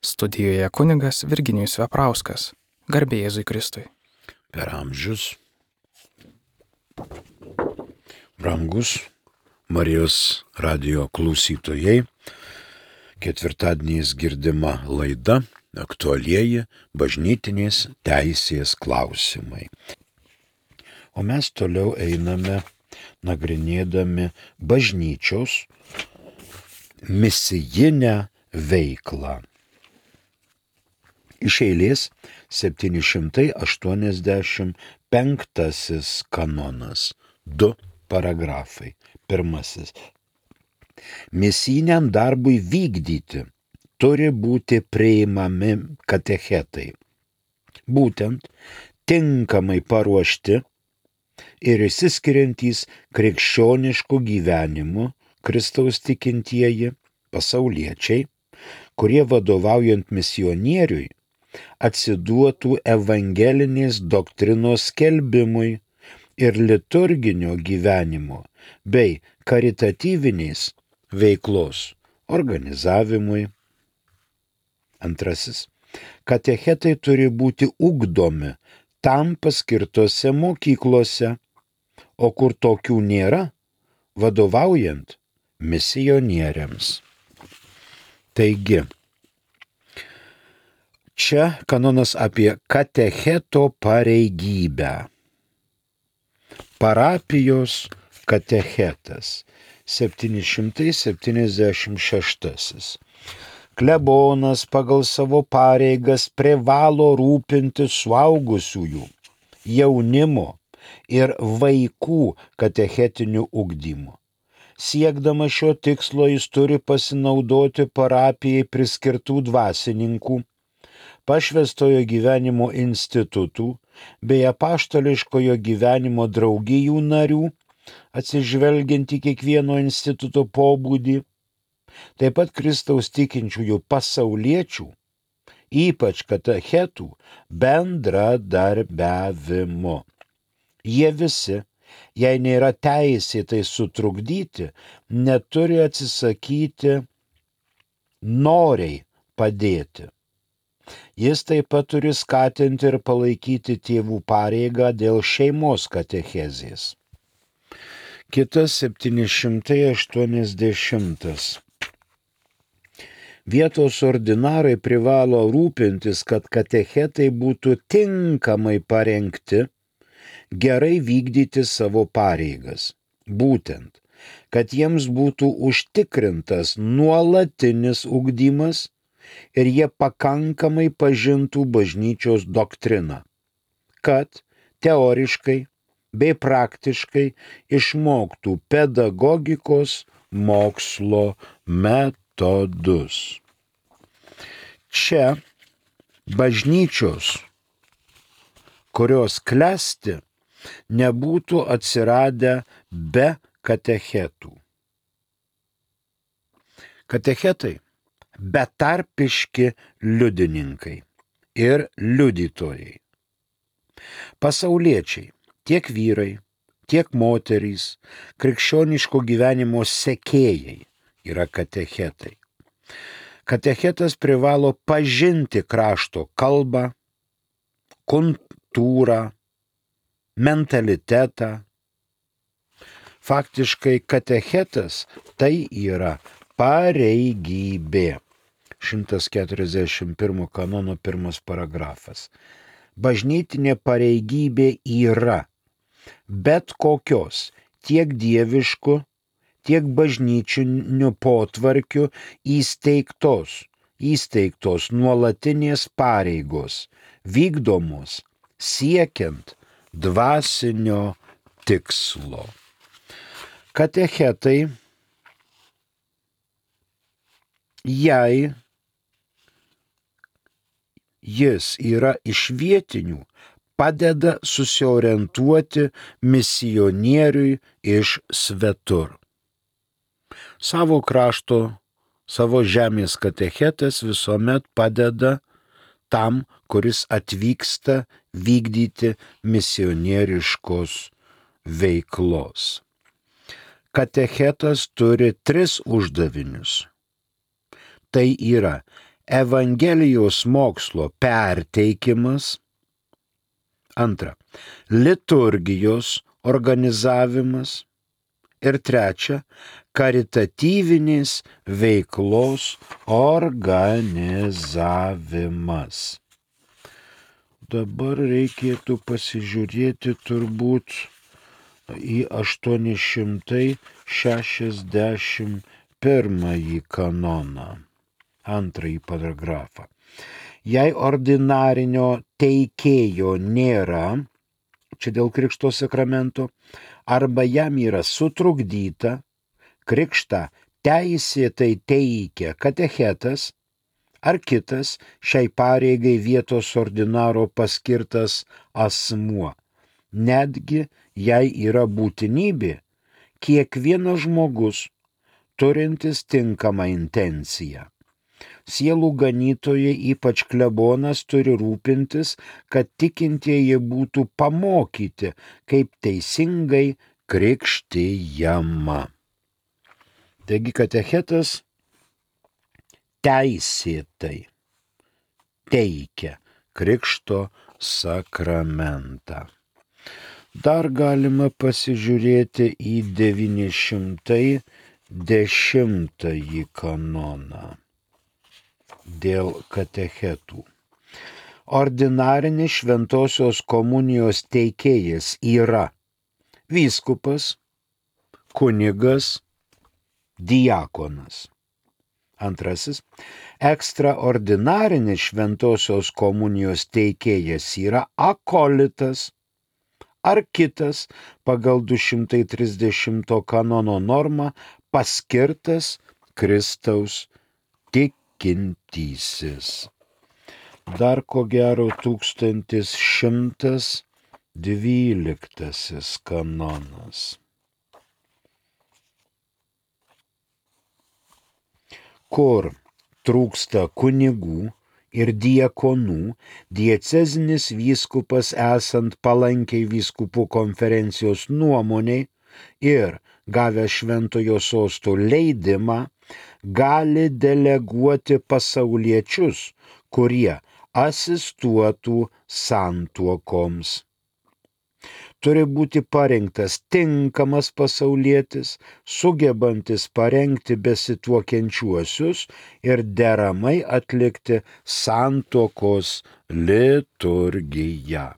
Studijoje kunigas Virginijus Veprauskas. Garbė Jėzui Kristui. Per amžius. Brangus Marijos radijo klausytojai, ketvirtadieniais girdima laida aktualieji bažnytinės teisės klausimai. O mes toliau einame nagrinėdami bažnyčios misijinę veiklą. Iš eilės 785 kanonas, 2 paragrafai. Pirmasis. Misijiniam darbui vykdyti turi būti priimami katechetai, būtent tinkamai paruošti ir išsiskiriantys krikščioniškų gyvenimų Kristaus tikintieji pasauliečiai, kurie vadovaujant misionieriui atsiduotų evangelinės doktrinos skelbimui ir liturginio gyvenimo bei karitatyvinės veiklos organizavimui. Antrasis. Katechetai turi būti ugdomi tam paskirtose mokyklose, o kur tokių nėra, vadovaujant misionieriams. Taigi, čia kanonas apie katecheto pareigybę. Parapijos katechetas 776. Klebonas pagal savo pareigas privalo rūpintis suaugusiųjų, jaunimo ir vaikų katechetiniu ugdymu. Siekdama šio tikslo jis turi pasinaudoti parapijai priskirtų dvasininkų, pašvęstojo gyvenimo institutų bei apaštališkojo gyvenimo draugijų narių, atsižvelgiant į kiekvieno instituto pobūdį, taip pat Kristaus tikinčiųjų pasauliečių, ypač katechetų, bendradarbiavimo. Jie visi, jei nėra teisėtai sutrukdyti, neturi atsisakyti noriai padėti. Jis taip pat turi skatinti ir palaikyti tėvų pareigą dėl šeimos katechezės. Kitas 780. Vietos ordinarai privalo rūpintis, kad katechetai būtų tinkamai parengti, gerai vykdyti savo pareigas. Būtent, kad jiems būtų užtikrintas nuolatinis ugdymas ir jie pakankamai pažintų bažnyčios doktriną, kad teoriškai bei praktiškai išmoktų pedagogikos mokslo metodus. Čia bažnyčios, kurios klesti, nebūtų atsiradę be katechetų. Katechetai betarpiški liudininkai ir liudytojai. Pasauliečiai, tiek vyrai, tiek moterys, krikščioniško gyvenimo sekėjai yra katechetai. Katechetas privalo pažinti krašto kalbą, kultūrą, mentalitetą. Faktiškai katechetas tai yra pareigybė. 141 kanono 1 paragrafas. Bažnytinė pareigybė yra bet kokios tiek dieviškų, tiek bažnyčinių potvarkių įsteigtos nuolatinės pareigos, vykdomos siekiant dvasinio tikslo. Katechetai, jei jis yra iš vietinių, padeda susiorientuoti misionieriui iš svetur. Savo krašto, savo žemės katechetas visuomet padeda tam, kuris atvyksta vykdyti misionieriškos veiklos. Katechetas turi 3 uždavinius. Tai yra Evangelijos mokslo perteikimas. Antra, liturgijos organizavimas. Ir trečia, karitatyvinės veiklos organizavimas. Dabar reikėtų pasižiūrėti turbūt į 861 kanoną, antrąjį paragrafą. Jei ordinarinio teikėjo nėra, čia dėl krikšto sakramento, arba jam yra sutrukdyta, krikštą teisėtai teikia katechetas ar kitas šiai pareigai vietos ordinaro paskirtas asmuo. Netgi jei yra būtinybė, kiekvienas žmogus turintis tinkamą intenciją. Sielų ganytojai, ypač klebonas, turi rūpintis, kad tikintieji būtų pamokyti, kaip teisingai krikštijama. Taigi katechetas teisėtai teikia krikšto sakramentą. Dar galima pasižiūrėti į 910 kanoną dėl katechetų. Ordinarinis šventosios komunijos teikėjas yra vyskupas, kunigas, diakonas. Antrasis, ekstraordinarinis šventosios komunijos teikėjas yra akolitas ar kitas pagal 230 kanono normą paskirtas Kristaus tikintysis. Dar ko gero 1112 kanonas. Kur trūksta kunigų ir diakonų, diecezinis vyskupas esant palankiai vyskupų konferencijos nuomoniai ir gavę šventojo sosto leidimą, gali deleguoti pasauliečius, kurie asistuotų santuokoms. Turi būti parinktas tinkamas pasaulietis, sugebantis parengti besituokiančiuosius ir deramai atlikti santuokos liturgiją.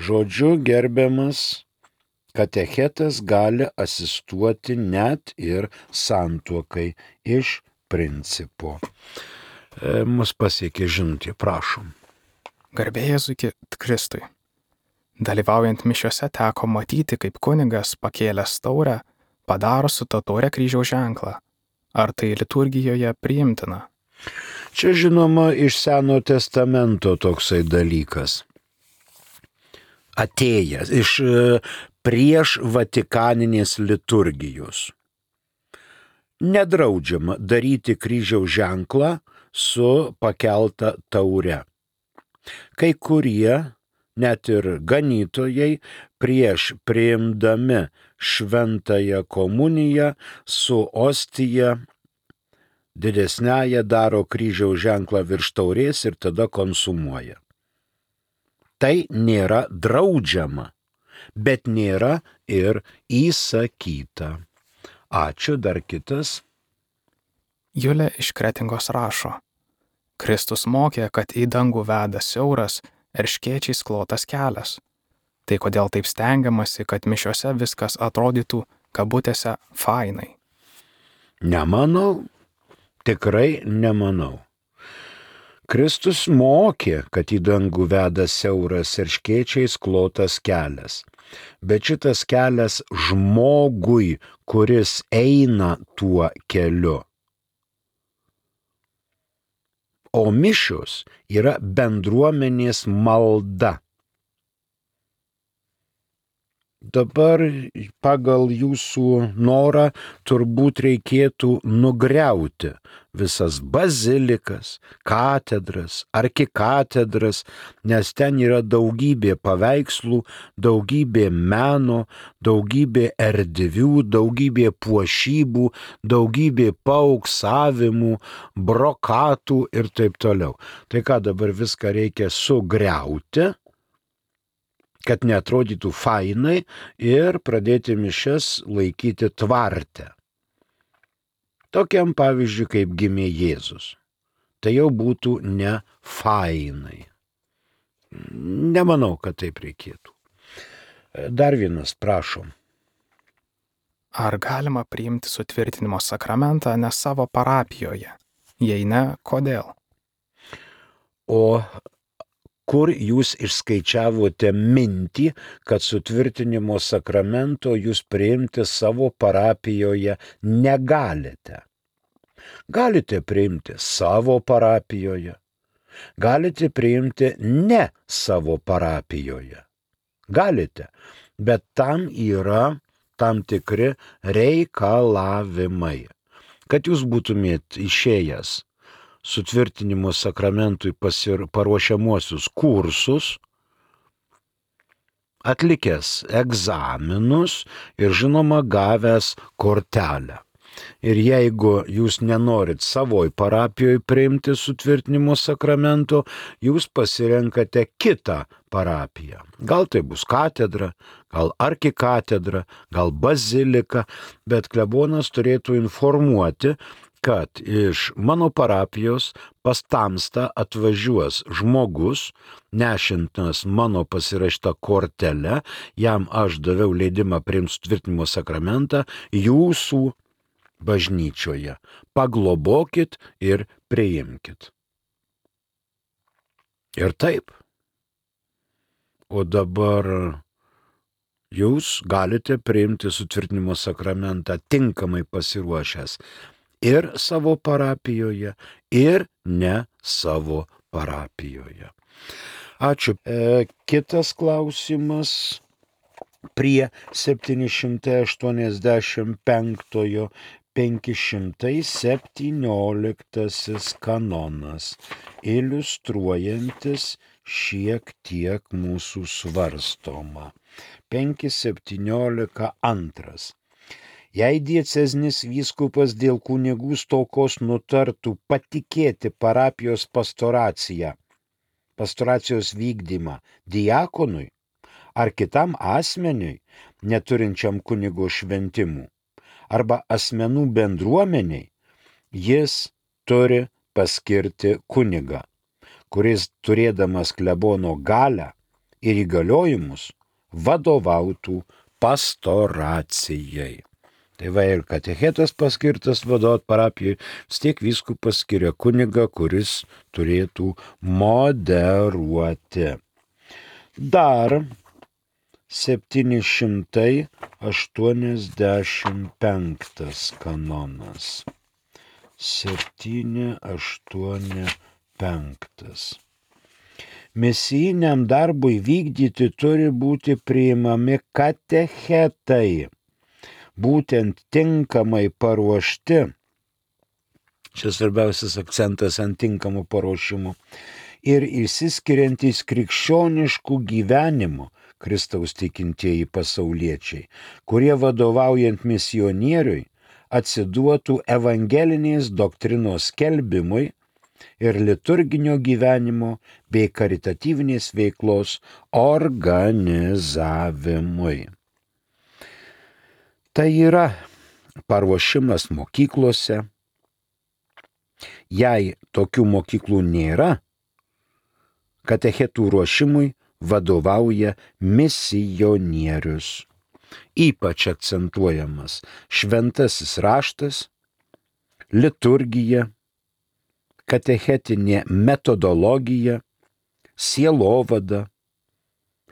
Žodžiu, gerbiamas, katechetas gali asistuoti net ir santuokai iš principo. Mus pasiekė žinutė, prašom. Garbė Jėzui Kristui. Dalyvaujant mišiose teko matyti, kaip kunigas pakėlęs taurę padaro su ta taure kryžiaus ženklą. Ar tai liturgijoje priimtina? Čia žinoma iš Seno testamento toksai dalykas. Atėjęs iš prieš Vatikaninės liturgijos. Nedraudžiama daryti kryžiaus ženklą su pakelta taure. Kai kurie, net ir ganytojai, prieš priimdami šventąją komuniją su ostija didesnėje daro kryžiaus ženklą virš taurės ir tada konsumuoja. Tai nėra draudžiama, bet nėra ir įsakyta. Ačiū, dar kitas. Julė iš Kretingos rašo. Kristus mokė, kad į dangų veda siauras erškėčiais klotas kelias. Tai kodėl taip stengiamasi, kad mišiose viskas atrodytų kabutėse fainai? Nemanau, tikrai nemanau. Kristus mokė, kad į dangų veda siauras erškėčiais klotas kelias. Bet šitas kelias žmogui, kuris eina tuo keliu. O mišios yra bendruomenės malda. Dabar pagal jūsų norą turbūt reikėtų nugriauti visas bazilikas, katedras, arkikatedras, nes ten yra daugybė paveikslų, daugybė meno, daugybė erdvių, daugybė puošybų, daugybė paauksavimų, brokatų ir taip toliau. Tai ką dabar viską reikia sugriauti, kad neatrodytų fainai ir pradėti mišias laikyti tvarte. Tokiam pavyzdžiui, kaip gimė Jėzus. Tai jau būtų ne fainai. Nemanau, kad taip reikėtų. Dar vienas, prašom. Ar galima priimti sutvirtinimo sakramentą ne savo parapijoje? Jei ne, kodėl? O kur jūs išskaičiavote mintį, kad sutvirtinimo sakramento jūs priimti savo parapijoje negalite? Galite priimti savo parapijoje, galite priimti ne savo parapijoje. Galite, bet tam yra tam tikri reikalavimai. Kad jūs būtumėt išėjęs sutvirtinimo sakramentui paruošiamuosius kursus, atlikęs egzaminus ir žinoma gavęs kortelę. Ir jeigu jūs nenorit savoj parapijoje priimti sutvirtinimo sakramento, jūs pasirenkate kitą parapiją. Gal tai bus katedra, gal arkikatedra, gal bazilika, bet klebonas turėtų informuoti, kad iš mano parapijos pas tamstą atvažiuos žmogus, nešintas mano pasirašytą kortelę, jam aš daviau leidimą priimti sutvirtinimo sakramentą jūsų bažnyčioje. Paglobokit ir priimkit. Ir taip. O dabar jūs galite priimti sutvirtinimo sakramentą tinkamai pasiruošęs ir savo parapijoje, ir ne savo parapijoje. Ačiū. Kitas klausimas prie 785 517 kanonas, iliustruojantis šiek tiek mūsų svarstomą. 5.17.2. Jei dieceznis vyskupas dėl kunigų stokos nutartų patikėti parapijos pastoracijos vykdymą diakonui ar kitam asmeniui, neturinčiam kunigo šventimų, arba asmenų bendruomeniai, jis turi paskirti kunigą, kuris turėdamas klebono galią ir įgaliojimus vadovautų pastoracijai. Tai va ir katechetas paskirtas vadovauti parapijai, vis tiek vyskupas skiria kunigą, kuris turėtų moderuoti. Dar 785 kanonas. 785. Misijiniam darbui vykdyti turi būti priimami katechetai, būtent tinkamai paruošti. Čia svarbiausias akcentas ant tinkamų paruošimų. Ir išsiskiriantys krikščioniškų gyvenimų Kristaus tikintieji pasauliečiai, kurie vadovaujant misionieriui atsiduotų evangelinės doktrinos skelbimui ir liturginio gyvenimo bei karitatyvinės veiklos organizavimui. Tai yra paruošimas mokyklose. Jei tokių mokyklų nėra, katechetų ruošimui vadovauja misionierius. Ypač akcentuojamas šventasis raštas, liturgija, katechetinė metodologija, sielovada,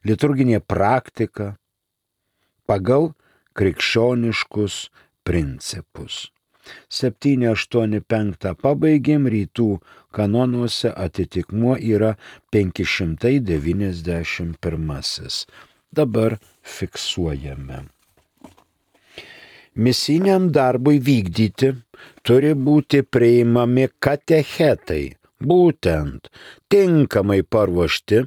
liturginė praktika pagal krikščioniškus principus. 785 pabaigėm, rytų kanonuose atitikmuo yra 591. dabar fiksuojame. Misiniam darbui vykdyti turi būti priimami katechetai, būtent tinkamai paruošti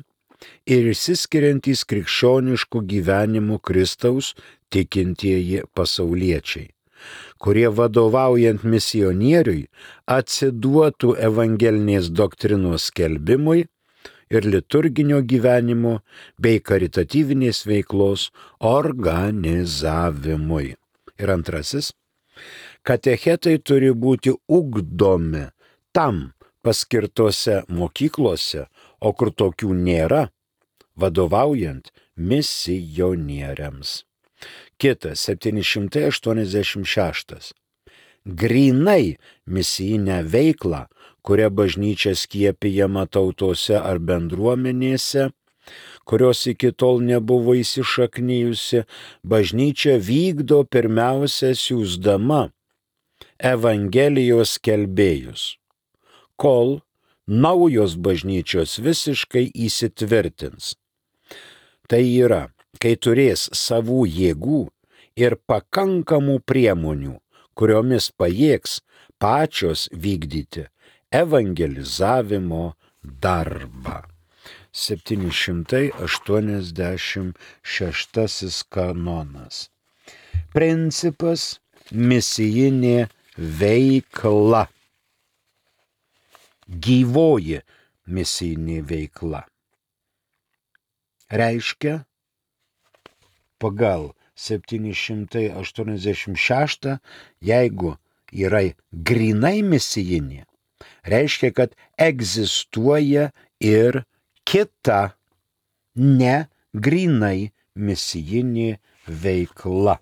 ir išsiskiriantys krikščioniškų gyvenimų Kristaus tikintieji pasauliečiai, kurie vadovaujant misionieriui atsiduotų evangelinės doktrinos skelbimui ir liturginio gyvenimo bei karitatyvinės veiklos organizavimui. Ir antrasis, katechetai turi būti ugdomi tam paskirtose mokyklose, o kur tokių nėra, vadovaujant misionieriams. Kitas 786. Grynai misijinę veiklą, kuria bažnyčia skiepijama tautose ar bendruomenėse, kurios iki tol nebuvo įsišaknijusi, bažnyčia vykdo pirmiausia siųsdama Evangelijos skelbėjus, kol naujos bažnyčios visiškai įsitvirtins. Tai yra, kai turės savų jėgų ir pakankamų priemonių, kuriomis pajėgs pačios vykdyti evangelizavimo darbą. 786 kanonas. Principas misijinė veikla. Gyvoji misijinė veikla. Reiškia, pagal 786, jeigu yra grynai misijinė, reiškia, kad egzistuoja ir kita ne grynai misijinė veikla.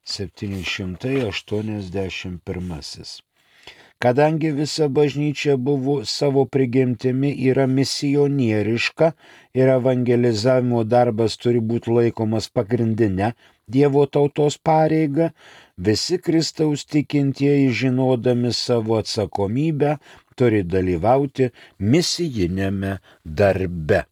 781. Kadangi visa bažnyčia buvo savo prigimtimi yra misionieriška ir evangelizavimo darbas turi būti laikomas pagrindinė Dievo tautos pareiga, visi Kristaus tikintieji, žinodami savo atsakomybę, turi dalyvauti misijinėme darbe.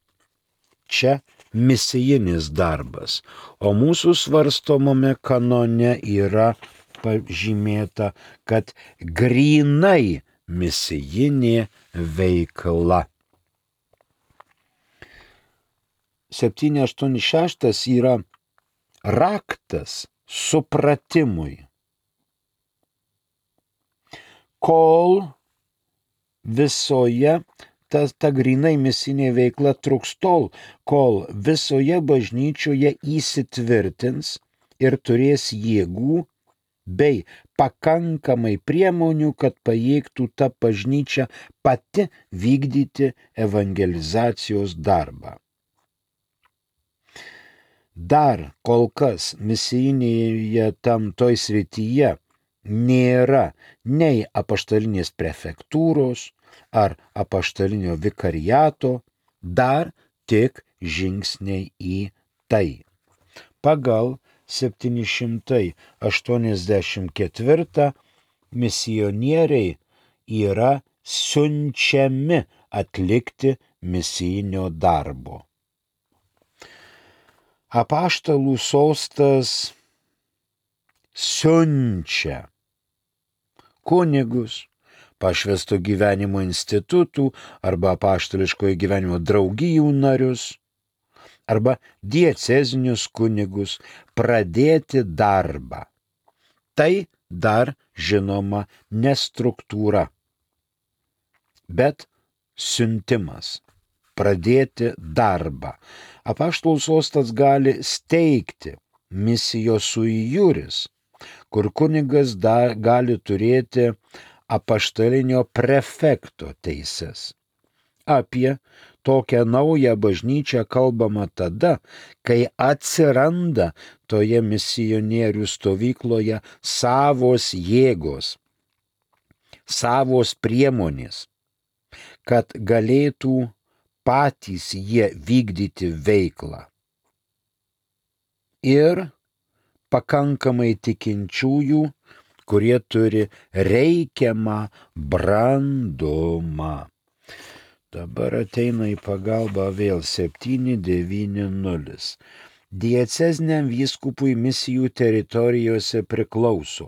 Čia misijinis darbas, o mūsų svarstomame kanone yra pažymėta, kad grynai misijinė veikla. 786 yra raktas supratimui. Kol visoje ta grynai misijinė veikla truks tol, kol visoje bažnyčioje įsitvirtins ir turės jėgų bei pakankamai priemonių, kad pajėgtų ta bažnyčia pati vykdyti evangelizacijos darbą. Dar kol kas misijinėje toj srityje nėra nei apaštalinės prefektūros ar apaštalinio vikariato, dar tik žingsniai į tai. Pagal 784 misionieriai yra siunčiami atlikti misijinio darbo. Apaštalų sostas siunčia kunigus, pašvęsto gyvenimo institutų arba apaštališkojo gyvenimo draugijų narius arba diecezinius kunigus pradėti darbą. Tai dar žinoma ne struktūra, bet siuntimas. Pradėti darbą. Apaštalų sostas gali steigti misijos sui juris, kur kunigas gali turėti apaštalinio prefekto teises. Apie tokią naują bažnyčią kalbama tada, kai atsiranda toje misionierių stovykloje savos jėgos, savos priemonės, kad galėtų patys jie vykdyti veiklą. Ir pakankamai tikinčiųjų, kurie turi reikiamą brandumą. Dabar ateina į pagalbą vėl 790. Dieceziniam vyskupui misijų teritorijose priklauso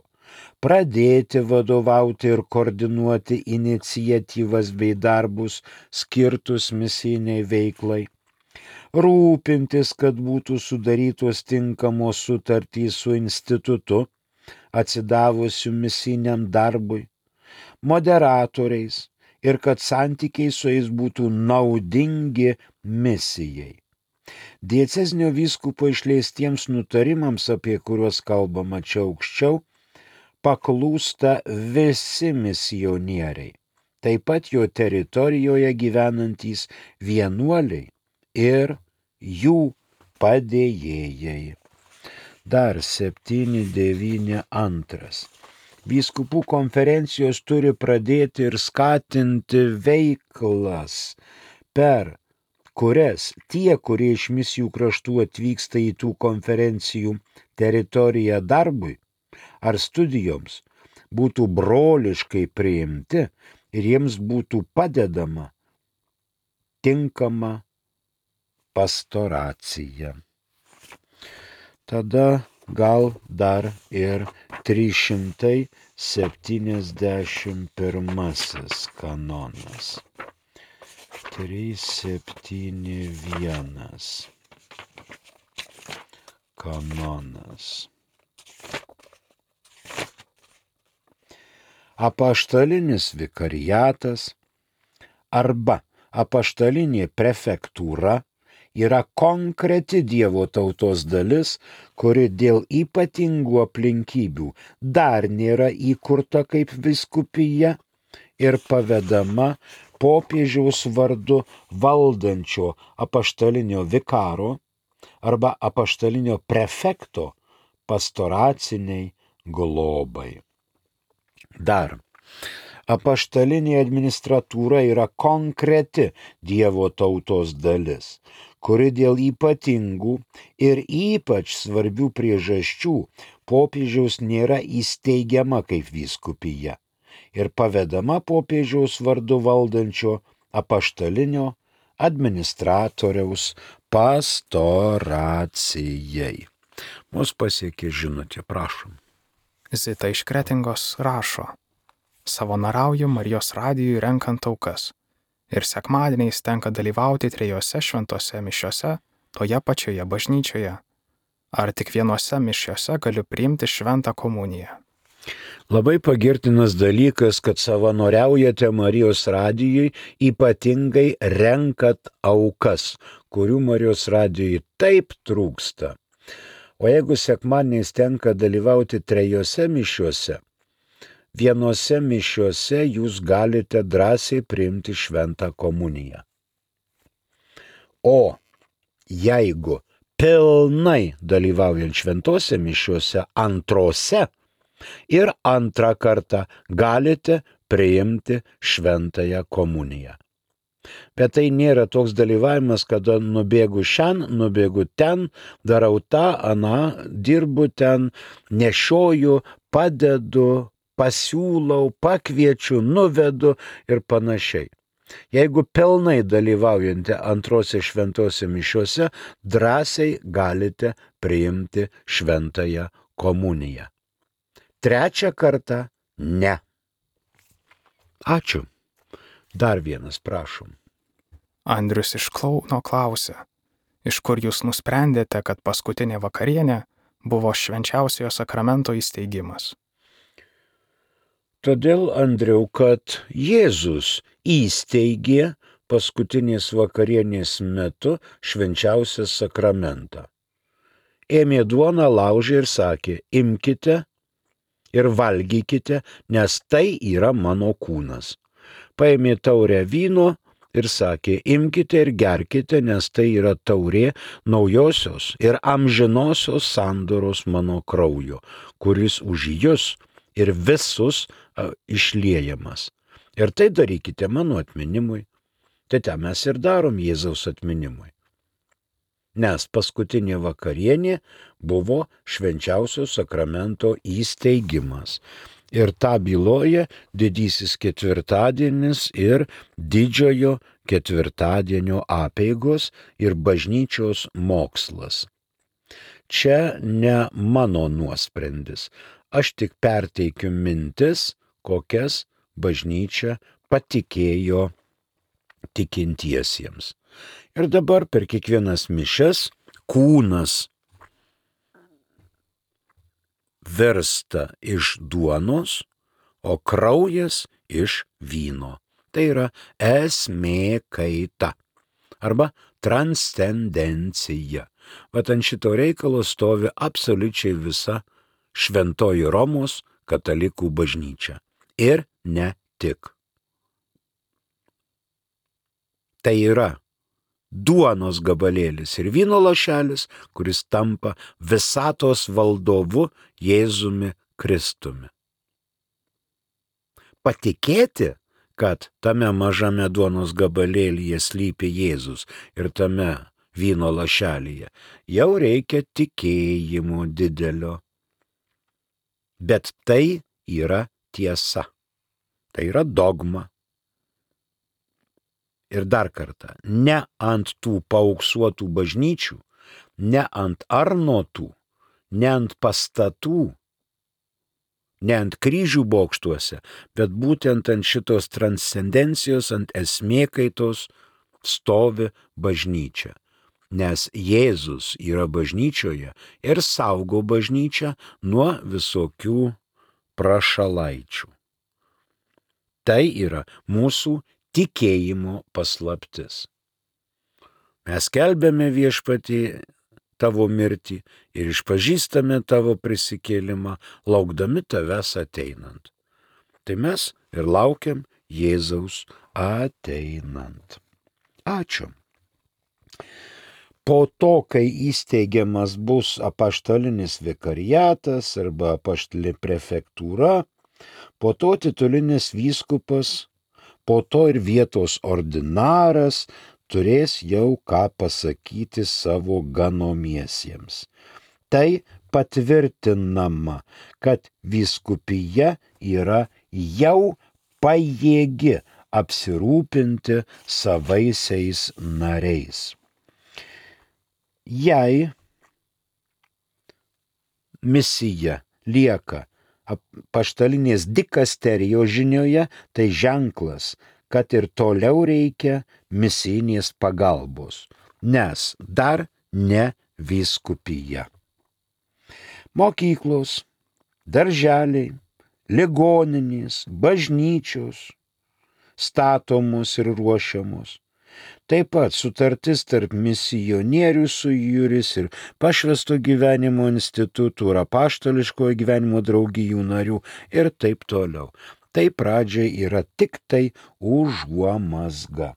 pradėti vadovauti ir koordinuoti iniciatyvas bei darbus skirtus misijiniai veiklai, rūpintis, kad būtų sudarytos tinkamos sutartys su institutu, atsidavusiu misijiniam darbui, moderatoriais ir kad santykiai su jais būtų naudingi misijai. Diecezinio vyskupo išleistiems nutarimams, apie kuriuos kalbama čia aukščiau, paklūsta visi misionieriai, taip pat jo teritorijoje gyvenantys vienuoliai ir jų padėjėjai. Dar 792. Vyskupų konferencijos turi pradėti ir skatinti veiklas, per kurias tie, kurie iš misijų kraštų atvyksta į tų konferencijų teritoriją darbui ar studijoms, būtų broliškai priimti ir jiems būtų padedama tinkama pastoracija. Tada gal dar ir 371 kanonas. 371 kanonas. Apaštalinis vikariatas arba apaštalinė prefektūra yra konkreti Dievo tautos dalis, kuri dėl ypatingų aplinkybių dar nėra įkurta kaip vyskupija ir pavedama popiežiaus vardu valdančio apaštalinio vikaro arba apaštalinio prefekto pastoraciniai globai. Dar. Apaštalinė administratūra yra konkreti Dievo tautos dalis, kuri dėl ypatingų ir ypač svarbių priežasčių popiežiaus nėra įsteigiama kaip vyskupija ir pavedama popiežiaus vardu valdančio apaštalinio administratoriaus pastoracijai. Mus pasiekė žinutė, prašom. Zita iš Kretingos rašo: savanoriauju Marijos radijui renkant aukas ir sekmadieniais tenka dalyvauti 3 šventose mišiose toje pačioje bažnyčioje. Ar tik vienose mišiose galiu priimti šventą komuniją? Labai pagirtinas dalykas, kad savanoriaujate Marijos radijui, ypatingai renkat aukas, kurių Marijos radijui taip trūksta. O jeigu sekmadieniais tenka dalyvauti 3 mišiuose, vienose mišiuose jūs galite drąsiai priimti šventą komuniją. O jeigu pilnai dalyvaujant šventose mišiuose antrose ir antrą kartą galite priimti šventąją komuniją. Bet tai nėra toks dalyvavimas, kada nubėgu šiandien, nubėgu ten, darau tą, aną, dirbu ten, nešioju, padedu, pasiūlau, pakviečiu, nuvedu ir panašiai. Jeigu pilnai dalyvaujate antrose šventose mišiuose, drąsiai galite priimti šventąją komuniją. 3 kartą ne. Ačiū. Dar vienas, prašom. Andrius iš Kauno klausia: iš kur jūs nusprendėte, kad paskutinė vakarienė buvo švenčiausiojo sakramento įsteigimas? Todėl, Andriau, kad Jėzus įsteigė paskutinės vakarienės metu švenčiausią sakramentą. Ėmė duoną, laužė ir sakė: imkite ir valgykite, nes tai yra mano kūnas. Paėmė taurę vyno ir sakė: imkite ir gerkite, nes tai yra taurė naujosios ir amžinosios sandoros mano kraujo, kuris už jus ir visus išliejamas. Ir tai darykite mano atminimui. Tai tą mes ir darom Jėzaus atminimui. Nes paskutinė vakarienė buvo švenčiausio sakramento įsteigimas. Ir tą byloja didysis ketvirtadienis ir didžiojo ketvirtadienio apeigos ir bažnyčios mokslas. Čia ne mano nuosprendis, aš tik perteikiu mintis, kokias bažnyčia patikėjo tikintiesiems. Ir dabar per kiekvienas mišias kūnas virsta iš duonos, o kraujas iš vyno. Tai yra esmė kaita arba transcendencija. Vat ant šito reikalo stovi absoliučiai visa šventoji Romos katalikų bažnyčia. Ir ne tik. Tai yra duonos gabalėlis ir vyno lašelis, kuris tampa visatos valdovu Jėzumi Kristumi. Patikėti, kad tame mažame duonos gabalėlyje slypi Jėzus ir tame vyno lašelyje, jau reikia tikėjimo didelio. Bet tai yra tiesa. Tai yra dogma. Ir dar kartą, ne ant tų paauksuotų bažnyčių, ne ant arnotų, ne ant pastatų, ne ant kryžių bokštuose, bet būtent ant šitos transcendencijos, ant esmėkaitos stovi bažnyčia. Nes Jėzus yra bažnyčioje ir saugo bažnyčią nuo visokių prašalaičių. Tai yra mūsų tikėjimo paslaptis. Mes skelbiame Viešpatį tavo mirtį ir išpažįstame tavo prisikėlimą, laukdami tavęs ateinant. Tai mes ir laukiam Jėzaus ateinant. Ačiū. Po to, kai įsteigiamas bus apaštalinis vikariatas arba apaštalinė prefektūra, po to titulinis vyskupas, po to ir vietos ordinaras turės jau ką pasakyti savo ganomiesiems. Tai patvirtinama, kad vyskupija yra jau pajėgi apsirūpinti savaisiais nariais. Jei misija lieka apaštalinės dikasterijos žinioje, tai ženklas, kad ir toliau reikia misijinės pagalbos, nes dar ne vyskupija. Mokyklos, darželiai, ligoninės, bažnyčios statomos ir ruošiamos. Taip pat sutartis tarp misionierių sujūris ir pašvęsto gyvenimo institutų ir apaštališkojo gyvenimo draugijų narių ir taip toliau. Tai pradžiai yra tik tai užuomazga.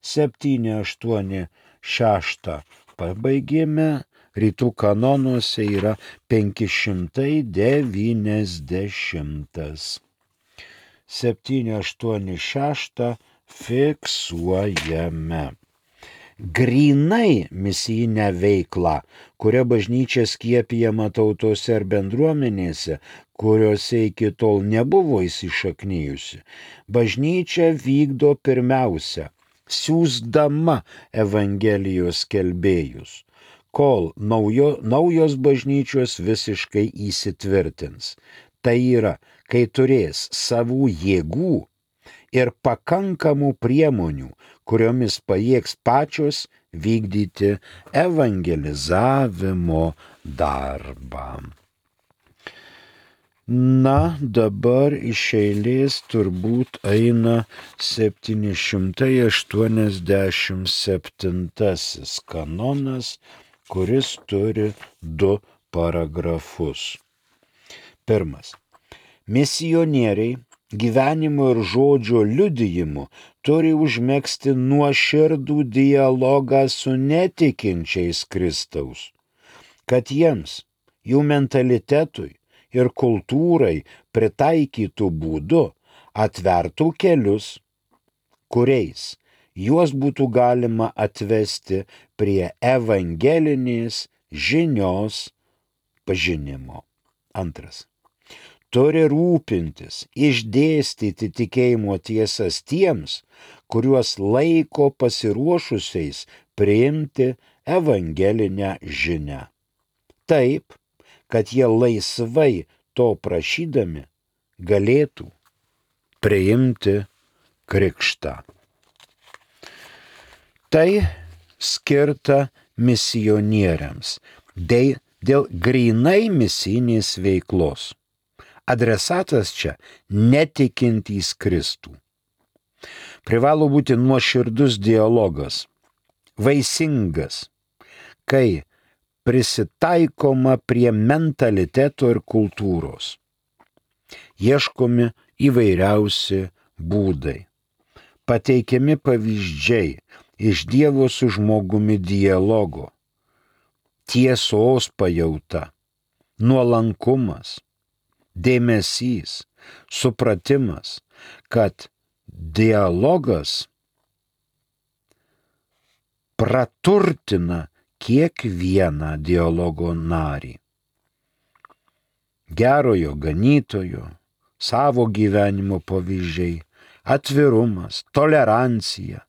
7, 8, 6 pabaigėme, rytų kanonuose yra 590. 7, 8, 6 fiksuojame. Grynai misijinę veiklą, kurią bažnyčia skiepijama tautose ar bendruomenėse, kuriuose iki tol nebuvo įsišaknijusi, bažnyčia vykdo pirmiausia, siųsdama Evangelijos skelbėjus, kol naujos bažnyčios visiškai įsitvirtins. Tai yra, kai turės savų jėgų ir pakankamų priemonių, kuriomis pajėgs pačios vykdyti evangelizavimo darbą. Na, dabar iš eilės turbūt eina 787 kanonas, kuris turi 2 paragrafus. Pirmas. Misionieriai gyvenimo ir žodžio liudijimu turi užmegzti nuoširdų dialogą su netikinčiais Kristaus, kad jiems, jų mentalitetui ir kultūrai pritaikytų būdu atvertų kelius, kuriais juos būtų galima atvesti prie evangelinės žinios pažinimo. Antras. turi rūpintis, išdėstyti tikėjimo tiesas tiems, kuriuos laiko pasiruošusiais priimti evangelinę žinią. Taip, kad jie laisvai to prašydami galėtų priimti krikštą. Tai skirta misionieriams dėl grynai misijinės veiklos. Adresatas čia netikintys Kristų. Privalo būti nuoširdus dialogas, vaisingas, kai prisitaikoma prie mentaliteto ir kultūros. Ieškomi įvairiausi būdai, pateikiami pavyzdžiai iš Dievo su žmogumi dialogo, tiesos pajauta, nuolankumas, dėmesys, supratimas, kad dialogas praturtina kiekvieną dialogo narį. Gerojo ganytojo, savo gyvenimo pavyzdžiai, atvirumas, tolerancija,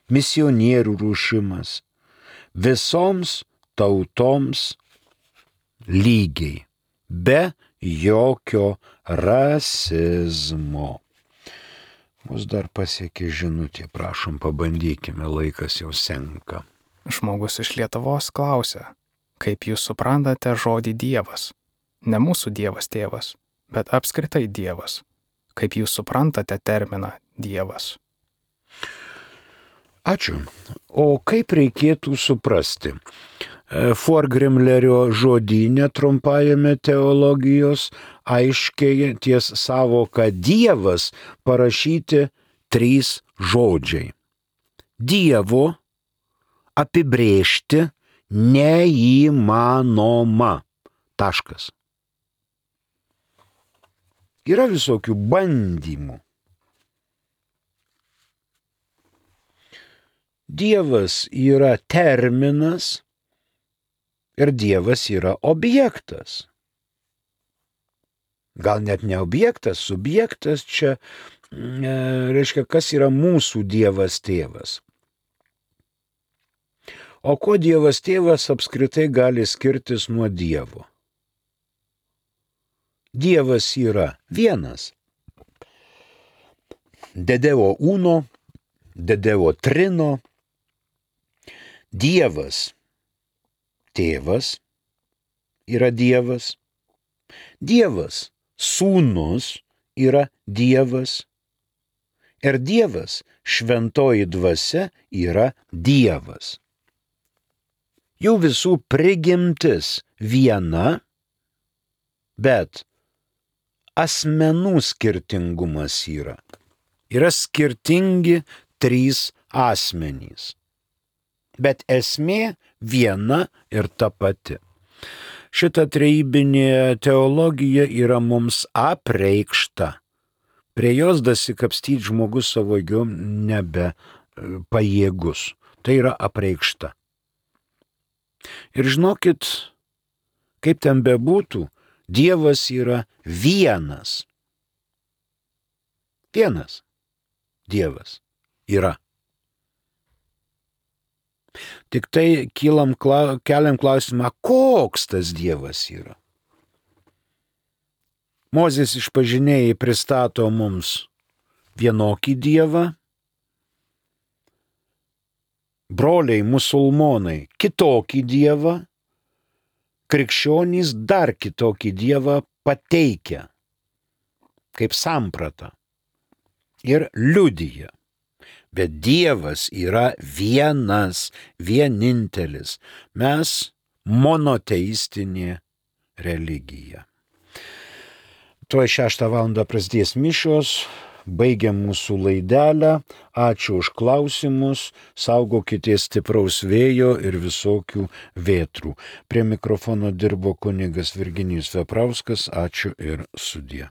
misionierių ruošimas visoms tautoms lygiai, be jokio rasizmo. Mus dar pasiekė žinutė, prašom pabandykime, laikas jau senka. Žmogus iš Lietuvos klausia, kaip jūs suprantate žodį Dievas? Ne mūsų Dievas tėvas, bet apskritai Dievas. Kaip jūs suprantate terminą Dievas? Ačiū. O kaip reikėtų suprasti? Forgrimlerio žodyne trumpajame teologijos aiškiai ties savoka Dievas parašyti 3 žodžiai. Dievo apibrėžti neįmanoma. Taškas. Yra visokių bandymų. Dievas yra terminas ir Dievas yra objektas. Gal net ne objektas, subjektas čia reiškia, kas yra mūsų Dievas tėvas. O kuo Dievas tėvas apskritai gali skirtis nuo Dievo? Dievas yra vienas. De Devo uno, de Devo trino. Dievas, tėvas yra Dievas. Dievas, sūnus yra Dievas. Ir Dievas, šventoji dvasia yra Dievas. Jų visų prigimtis viena, bet asmenų skirtingumas yra. Yra skirtingi 3 asmenys. Bet esmė viena ir ta pati. Šita trejybinė teologija yra mums apreikšta. Prie jos dasikapstyti žmogus savo jėgom nebe pajėgus. Tai yra apreikšta. Ir žinokit, kaip ten bebūtų, Dievas yra vienas. Vienas Dievas yra. Tik tai keliam klausimą, koks tas Dievas yra. Mozės išpažinėjai pristato mums vienokį Dievą, broliai musulmonai kitokį Dievą, krikščionys dar kitokį Dievą pateikia kaip sampratą ir liudija. Bet Dievas yra vienas, vienintelis. Mes monoteistinė religija. Tuoj 6 valandą prasidės mišios, baigiam mūsų laidelę. Ačiū už klausimus, saugokitės stipraus vėjo ir visokių vėtrų. Prie mikrofono dirbo kunigas Virginijus Veprauskas. Ačiū ir sudie.